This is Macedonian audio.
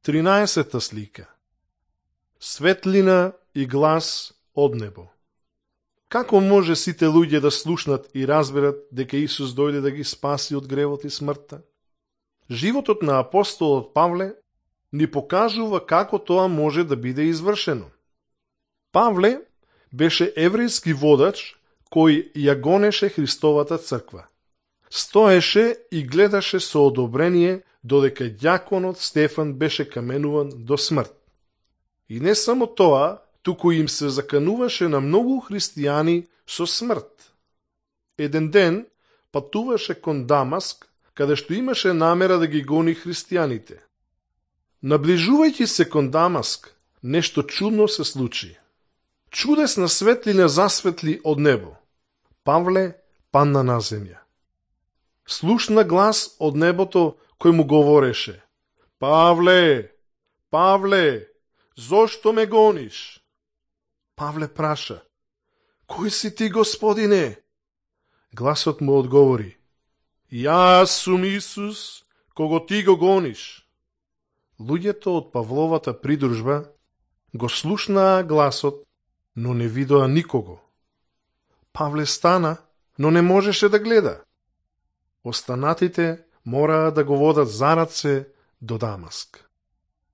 13 слика. Светлина и глас од небо. Како може сите луѓе да слушнат и разберат дека Исус дојде да ги спаси од гревот и смртта? Животот на апостолот Павле ни покажува како тоа може да биде извршено. Павле беше еврејски водач кој ја гонеше Христовата црква. Стоеше и гледаше со одобрение додека ѓаконот Стефан беше каменуван до смрт. И не само тоа, туку им се закануваше на многу христијани со смрт. Еден ден патуваше кон Дамаск, каде што имаше намера да ги гони христијаните. Наближувајќи се кон Дамаск, нешто чудно се случи. Чудесна светлина засветли од небо. Павле падна на земја. Слушна глас од небото кој му говореше: Павле, Павле, зошто ме гониш? Павле праша: Кој си ти, Господине? Гласот му одговори: Јас сум Исус, кого ти го гониш. Луѓето од Павловата придружба го слушнаа гласот, но не видоа никого. Павле стана, но не можеше да гледа. Останатите мораа да го водат за раце до Дамаск.